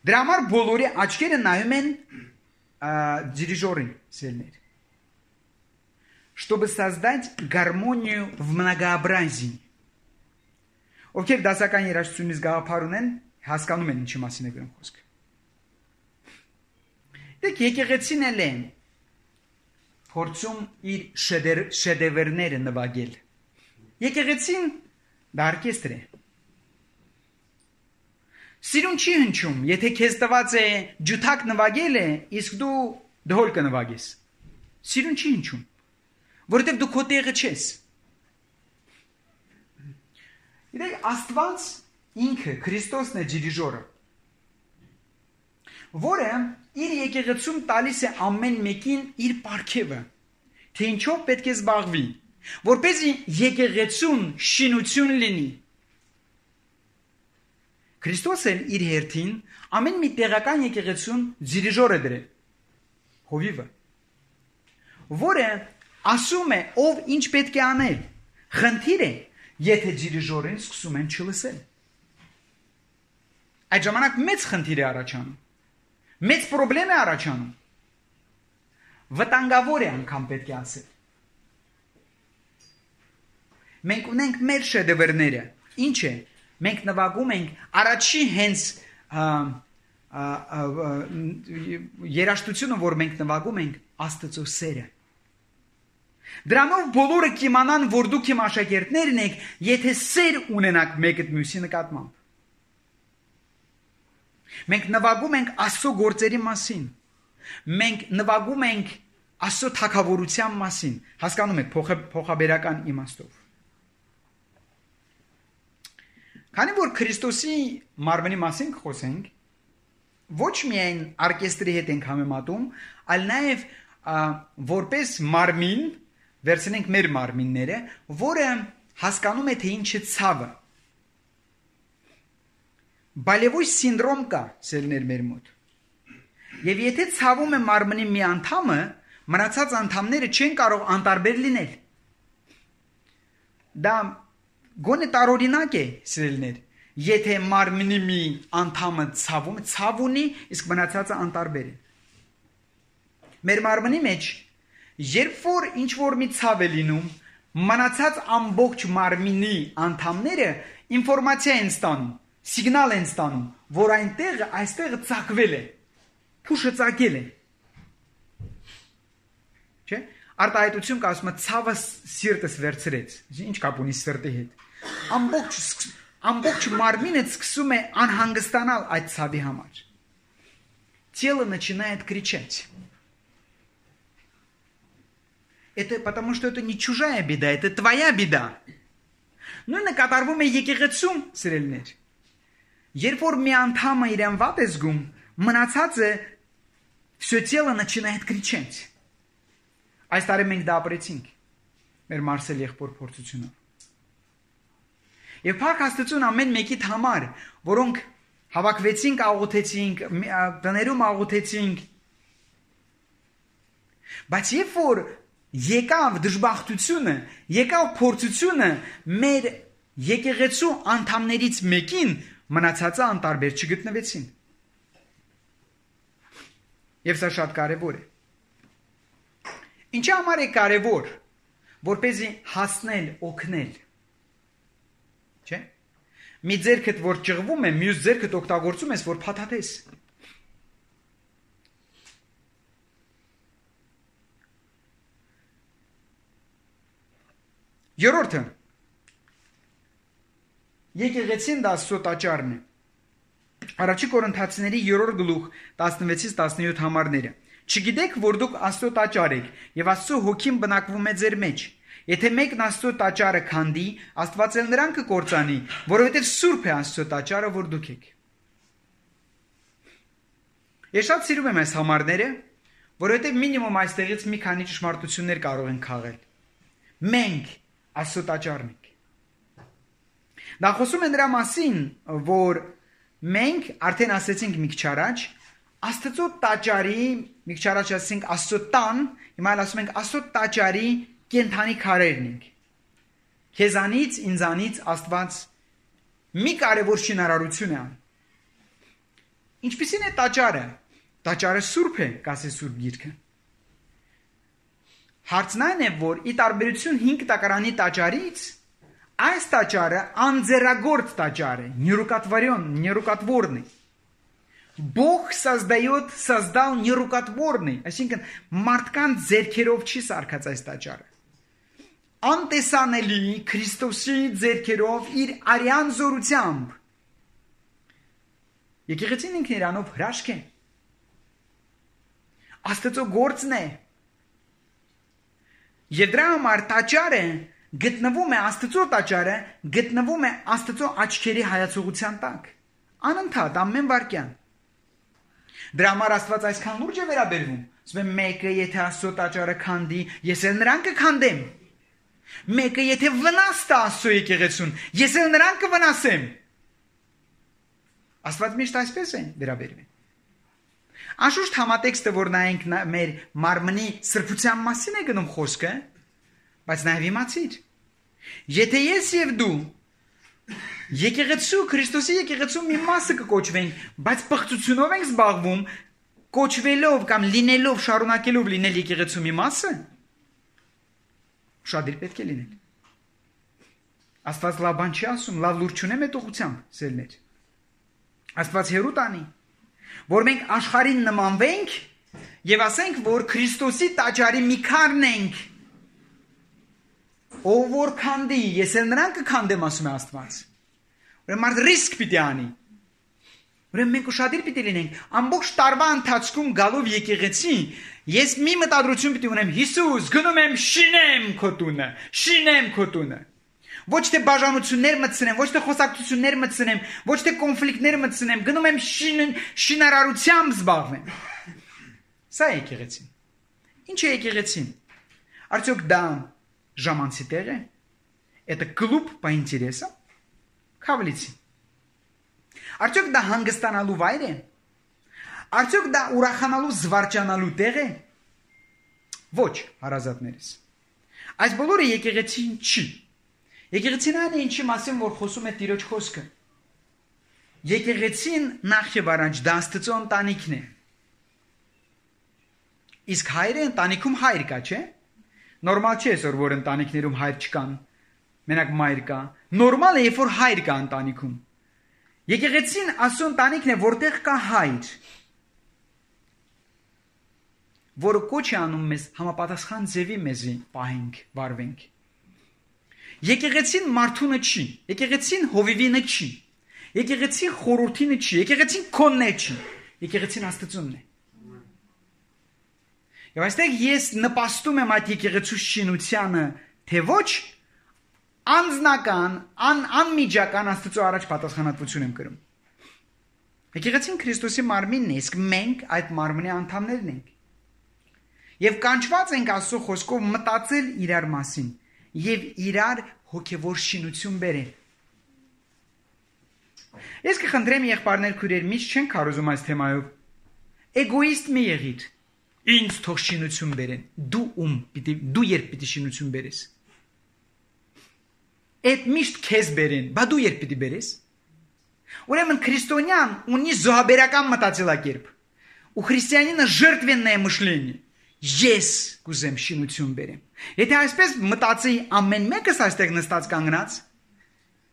Դրա համար բոլորի աչքերը նայում են դիրիժորին, սիրելիներ, чтобы создать гармонию в многообразии. Ովքեր դասական երաժշտությունից գաղափար ունեն, հասկանում են ինչի մասին է գրում խոսքը։ Դեք եկեղեցին էլ են փորձում իր շեդևերները նվագել։ Եկեղեցին դա օրկեստր է։ Սիրուն չի հնչում, եթե քեզ տված է ջութակ նվագելը, իսկ դու դհոլ կնվագես։ Սիրուն չի հնչում, որովհետև դու քո տեղը չես։ Իդեք Աստված ինքը Քրիստոսն է դիրիժորը, որը իր եկեղեցում տալիս է ամեն մեկին իր պարգևը, թե ինչով պետք է զբաղվի, որպեսզի եկեղեցուն շինություն լինի։ Քրիստոսը իր հերթին ամեն մի տեղական եկեղեցուն դիրիժոր է դրել, հովիվը, որը ասում է ով ինչ պետք է անել։ Խնդիր է, եթե դիրիժորին սկսում են չլսել։ Այդ ժամանակ մեծ խնդիր է առաջանում։ Մեծ պրոբլեմ է առաջանում։ Վտանգավոր է անգամ պետք է ասել։ Մենք ունենք մեր շեդևերները։ Ինչ է։ Մենք նվագում ենք առաջի հենց երաժշտությունը, որ մենք նվագում ենք, Աստծո սերը։ Դրանով բոլորը կիմանան, որ դուք իմ աշակերտներն եք, եթե սեր ունենաք մեկը մյուսի նկատմամբ։ Մենք նվագում ենք Աստծո գործերի մասին։ Մենք նվագում ենք Աստծո թագավորության մասին։ Հասկանում եք փոխաբերական իմաստով։ Քանի որ Քրիստոսի մարմնի մասին կխոսենք, ոչ միայն օրկեստրի հետ ենք համեմատում, այլ նաև որպես մարմին վերցնենք մեր մարմինները, որը հասկանում է, թե ինչ է ցավը։ Բալևոյ սինդրոմ կա սերներ մեր մոտ։ Եվ եթե ցավում է մարմնի մի անդամը, մնացած անդամները չեն կարող անտարբեր լինել։ Դա գոնե տարօրինակ է, սերներ, եթե մարմնի մի անդամը ցավում է, ցավ ունի, իսկ մնացածը անտարբեր է։ Մեր մարմնի մեջ երբ որ ինչ որ մի ցավ է լինում, մնացած ամբողջ մարմինի անդամները ինֆորմացիա են ստանում, սիգնալ են ստանում, որ այնտեղ այստեղ ծակվել է, փուշը ծակել է։ Չէ՞։ Արտահայտություն կա ասում է ցավը սիրտս վերցրեց։ Ինչ կապ ունի սիրտի հետ։ Ամբողջ ամբողջ մարմինը սկսում է անհանգստանալ այդ ցավի համար։ Тело начинает кричать. Это потому, что это не чужая беда, это твоя беда. Նույնը կատարվում է եկեղեցում, սիրելիներ։ Երբ որ մի անդամը իրեն վատ է զգում, մնացածը все тело начинает кричать. Այս տարի մենք դա ապրեցինք։ մեր Մարսել եղբոր փորձությունով։ Եվ Փառք Աստծուն ամեն մեկիդ համար, որոնք հավաքվեցինք, աղոթեցինք, տներում աղոթեցինք, բայց երբ որ եկավ դժբախտությունը, եկավ փորձությունը մեր եկեղեցու անդամներից մեկին, մնացածը անտարբեր չգտնվեցին։ Եվ սա շատ կարևոր է։ Ինչի համար է կարևոր, որպեսզի հասնել, օգնել։ Չէ՞։ Մի ձեռքդ որ ճղվում է, մյուս ձեռքդ օգտագործում ես, որ փաթաթես։ Երրորդը եկեղեցին դա Աստծո տաճարն է։ Առաջի Կորինթացիների երրորդ գլուխ տասնվեցից տասնյոթ համարները։ Չգիտեք, որ դուք Աստծո տաճար եք, եւ Աստծո հոգին բնակվում է ձեր մեջ։ Եթե մեկն Աստծո տաճարը քանդի, Աստված էլ նրան կկործանի, որովհետեւ սուրբ է Աստծո տաճարը, որ դուք եք։ Ես շատ սիրում եմ այս համարները, որովհետեւ մինիմում այստեղից մի քանի ճշմարտություններ կարող են քաղել։ Մենք Աստծո տաճարն ենք։ Դա խոսում է նրա մասին, որ մենք արդեն ասացինք մի քիչ առաջ, Աստծո տաճարի, մի քիչ առաջ ասացինք Աստծո տան, հիմա էլ ասում ենք Աստծո տաճարի կենթանի քարերն ենք։ Քեզանից, ինձանից Աստված մի կարևոր շինարարություն է անում։ Ինչպիսին է տաճարը։ Տաճարը սուրբ է, կասի Սուրբ Գիրքը։ Հարցն այն է, որ ի տարբերություն հինգ տակարանի տաճարից, այս տաճարը անձեռագործ տաճար է, նյուրուկատվարյոն, նյուրուկատվորն է։ Бог создает, создал նյուրուկատվորն է, այսինքն մարդկանց ձեռքերով չի սարքած այս տաճարը։ Անտեսանելի Քրիստոսի ձեռքերով իր արյան զորությամբ։ Եկեղեցին ինքն իրանով հրաշք է։ Աստծո գործն է։ Եվ դրա համար տաճարը գտնվում է Աստծո տաճարը, գտնվում է Աստծո աչքերի հայացողության տակ։ Անընդհատ ամեն վարքյան։ Դրա համար Աստված այսքան լուրջ է վերաբերվում։ Ասում է մեկը եթե Աստծո տաճարը քանդի, ես էլ նրան կքանդեմ։ Մեկը եթե վնաս տա Աստծո եկեղեցուն, ես էլ նրան կվնասեմ։ Աստված միշտ այսպես է վերաբերվում։ Անշուշտ համատեքստը, որ նայենք մեր մարմնի սրբության մասին է գնում խոսքը, բայց նաև իմացիր։ Եթե ես եւ դու եկեղեցու Քրիստոսի եկեղեցու մի մասը կկոչվենք, բայց պղծությունով ենք զբաղվում, կոչվելով կամ լինելով, շարունակելով լինել եկեղեցու մի մասը, շատ դիր պետք է լինել։ Աստված լավ բան չի ասում, լավ լուր չունե մետողությամբ, սերներ։ Աստված հերու տանի, որ մենք աշխարհին նմանվենք եւ ասենք, որ Քրիստոսի տաճարի մի քարն ենք։ Ով որ քանդի, ես էլ նրան կքանդեմ, ասում է Աստված։ Ուրեմն մարդ ռիսկ պիտի անի։ Ուրեմն մենք ուշադիր պիտի լինենք, ամբողջ տարվա ընթացքում գալով եկեղեցի, ես մի մտադրություն պիտի ունեմ, Հիսուս, գնում եմ շինեմ քո տունը, շինեմ քո տունը։ Ոչ թե բաժանություններ մտցնեմ, ոչ թե խոսակցություններ մտցնեմ, ոչ թե կոնֆլիկտներ մտցնեմ, գնում եմ շին, շինարարությամբ զբաղվեմ։ Սա է եկեղեցին։ Ինչ է եկեղեցին։ Արդյոք դա ժամանցի տեղ է։ Это клуб по интересам։ Քավլիցի։ Արդյոք դա հանգստանալու վայր է։ Արդյոք դա ուրախանալու, զվարճանալու տեղ է։ Ոչ, հարազատներս։ Այս բոլորը եկեղեցին չի։ Եկեղեցին այն է, ինչի մասին որ խոսում է Տիրոջ խոսքը։ Եկեղեցին նախ եւ առաջ դա Աստծո ընտանիքն է։ Իսկ հայրը ընտանիքում հայր կա, չէ՞։ Նորմալ չէ այսօր, որ ընտանիքներում հայր չկան, մենակ մայր կա։ Նորմալ է, երբ որ հայր կա ընտանիքում։ Եկեղեցին Աստծո ընտանիքն է, որտեղ կա հայր, որը կոչ է անում մեզ համապատասխան ձևի մեզի պահենք, վարվենք։ Եկեղեցին մարդունը չի, եկեղեցին հովիվինը չի, եկեղեցին խորհրդինը չի, եկեղեցին քոնն չի, եկեղեցին Աստծունն է։ Եվ այստեղ ես նպաստում եմ այդ եկեղեցու շինությանը, թե ոչ անձնական, ան, անմիջական Աստծո առաջ պատասխանատվություն եմ կրում։ Եկեղեցին Քրիստոսի մարմինն է, իսկ մենք այդ մարմնի անդամներն ենք։ Եվ կանչված ենք Աստծո խոսքով մտածել իրար մասին եւ իրար հոգեվոր շինություն բերեն։ Ես կխնդրեմ եղբայրներ քույրեր, միշտ չեն կարոզում այս թեմայով։ Էգոիստ մի եղիր։ Ինձ թող շինություն բերեն։ Դու ում պիտի դու երբ պիտի շինություն բերես։ Այդ միշտ քեզ բերեն, բա դու երբ պիտի բերես։ Ուրեմն քրիստոնյան ունի զոհաբերական մտածելակերպ։ Ու քրիստիանինը ժертвенное мышление։ Ես կուզեմ շինություն բերեմ։ Եթե այսպես մտածի ամեն մեկս այստեղ նստած կանգնած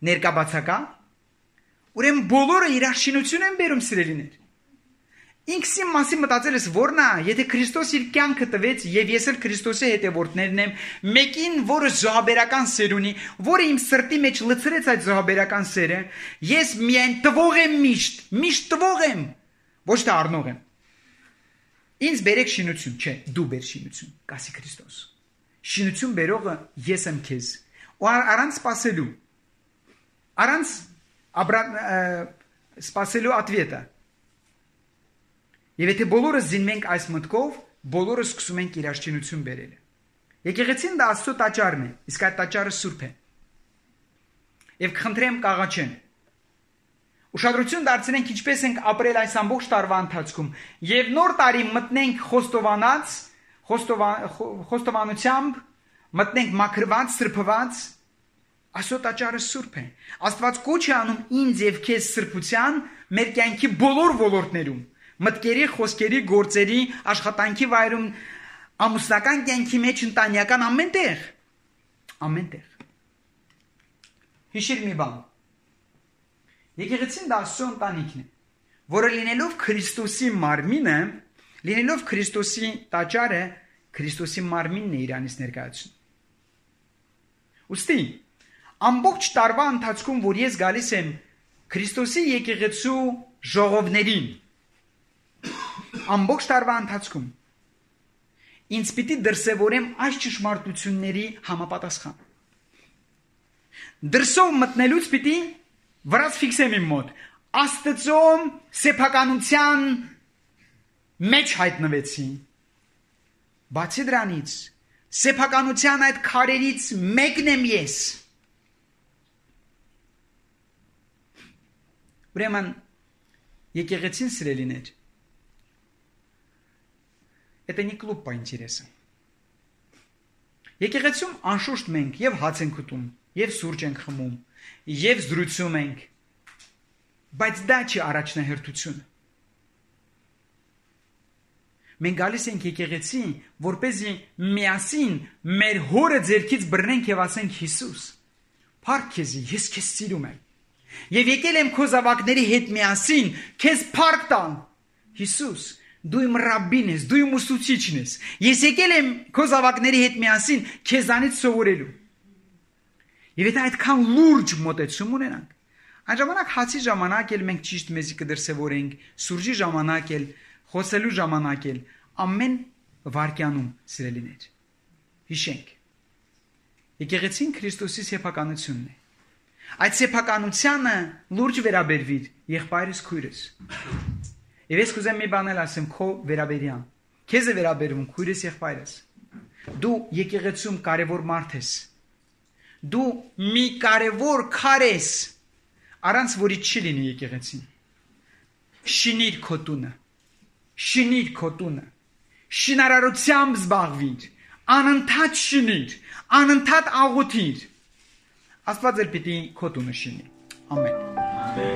ներկաբացակա, ուրեմն բոլորը իրար շինություն են բերում սիրելիներ։ Ինքսի մասի մտածել ես որն է, եթե Քրիստոս իր կյանքը տվեց եւ ես էլ Քրիստոսի հետևորդներն եմ, մեկին, որը զոհաբերական սեր ունի, որը իմ սրտի մեջ լցրեց այդ զոհաբերական սերը, ես միայն տվող եմ միշտ, միշտ տվող եմ, ոչ թե առնող եմ։ Ինձ բերեք շինություն, չէ, դու բեր շինություն, կասի Քրիստոս։ Շինություն բերողը ես եմ քեզ։ Ու առանց սпасելու, առանց սпасելու ատվետը։ Եվ եթե բոլորը զինվենք այս մտքով, բոլորը սկսում ենք իրար շինություն բերել։ Եկեղեցին դա Աստծո տաճարն է, իսկ այդ տաճարը սուրբ է։ Եվ կխնդրեմ կաղաչեն։ Ուշադրություն դարձնենք ինչպես ենք ապրել այս ամբողջ տարվա ընթացքում, եւ նոր տարի մտնենք խոստովանած, խոստովանությամբ, մտնենք մաքրված, սրբված, Աստծո տաճարը սուրբ է։ Աստված կոչ է անում ինձ եւ քեզ սրբության մեր կյանքի բոլոր ոլորտներում։ Մտքերի, խոսքերի, գործերի, աշխատանքի վայրում, ամուսնական կյանքի մեջ, ընտանեկան ամենտեղ, ամենտեղ։ Հիշիր մի բան։ Եկեղեցին դա Աստծո ընտանիքն է, որը լինելով Քրիստոսի մարմինը, լինելով Քրիստոսի տաճարը, Քրիստոսի մարմինն է իրանից ներկայացնում։ Ուստի ամբողջ տարվա ընթացքում, որ ես գալիս եմ Քրիստոսի եկեղեցու ժողովներին, ամբողջ տարվա ընթացքում ինձ պիտի դրսևորեմ այս ճշմարտությունների համապատասխան։ Դրսով մտնելուց պիտի վրաց ֆիքսեմ իմ մոտ։ Աստծո սեփականության մեջ հայտնվեցի։ Բացի դրանից, սեփականության այդ քարերից մեկն եմ ես։ Ուրեմն եկեղեցին սիրելիներ, это не клуб по интересам։ Եկեղեցում անշուշտ մենք եւ հաց ենք ուտում, եւ սուրճ ենք խմում, եւ զրուցում ենք, բայց դա չի առաջնահերթությունը։ Մենք գալիս ենք եկեղեցի, որպեսզի միասին մեր հորը ձեռքից բռնենք եւ ասենք Հիսուս, փառք քեզ, ես քեզ սիրում եմ։ Եվ եկել եմ քո զավակների հետ միասին, քեզ փառք տալ։ Հիսուս, դու իմ ռաբբին ես, դու իմ ուսուցիչն ես։ Ես եկել եմ քո զավակների հետ միասին քեզանից սովորելու։ Եվ եթե այդքան լուրջ մոտեցում ունենանք, այն ժամանակ հացի ժամանակ էլ մենք ճիշտ մեզի կդրսևորենք, սուրճի ժամանակ էլ, խոսելու ժամանակ էլ, ամեն վայրկյանում սիրելիներ։ Հիշենք։ Եկեղեցին Քրիստոսի սեփականությունն է։ Այդ սեփականությանը լուրջ վերաբերվիր եղբայրս քույրս։ Եվ ես կուզեմ մի բան ասեմ քո վերաբերյան։ Քեզ է վերաբերվում քույրս եղբայրս։ Դու եկեղեցում կարևոր մարդ ես։ Դու մի կարևոր քար ես, առանց որի չի լինի եկեղեցին։ Շինիր քո տունը։ Շինիր քո տունը։ Շինարարությամբ զբաղվիր, անընդհատ շինիր, անընդհատ աղոթիր։ Աստված էլ պիտի քո տունը շինի։ Ամեն։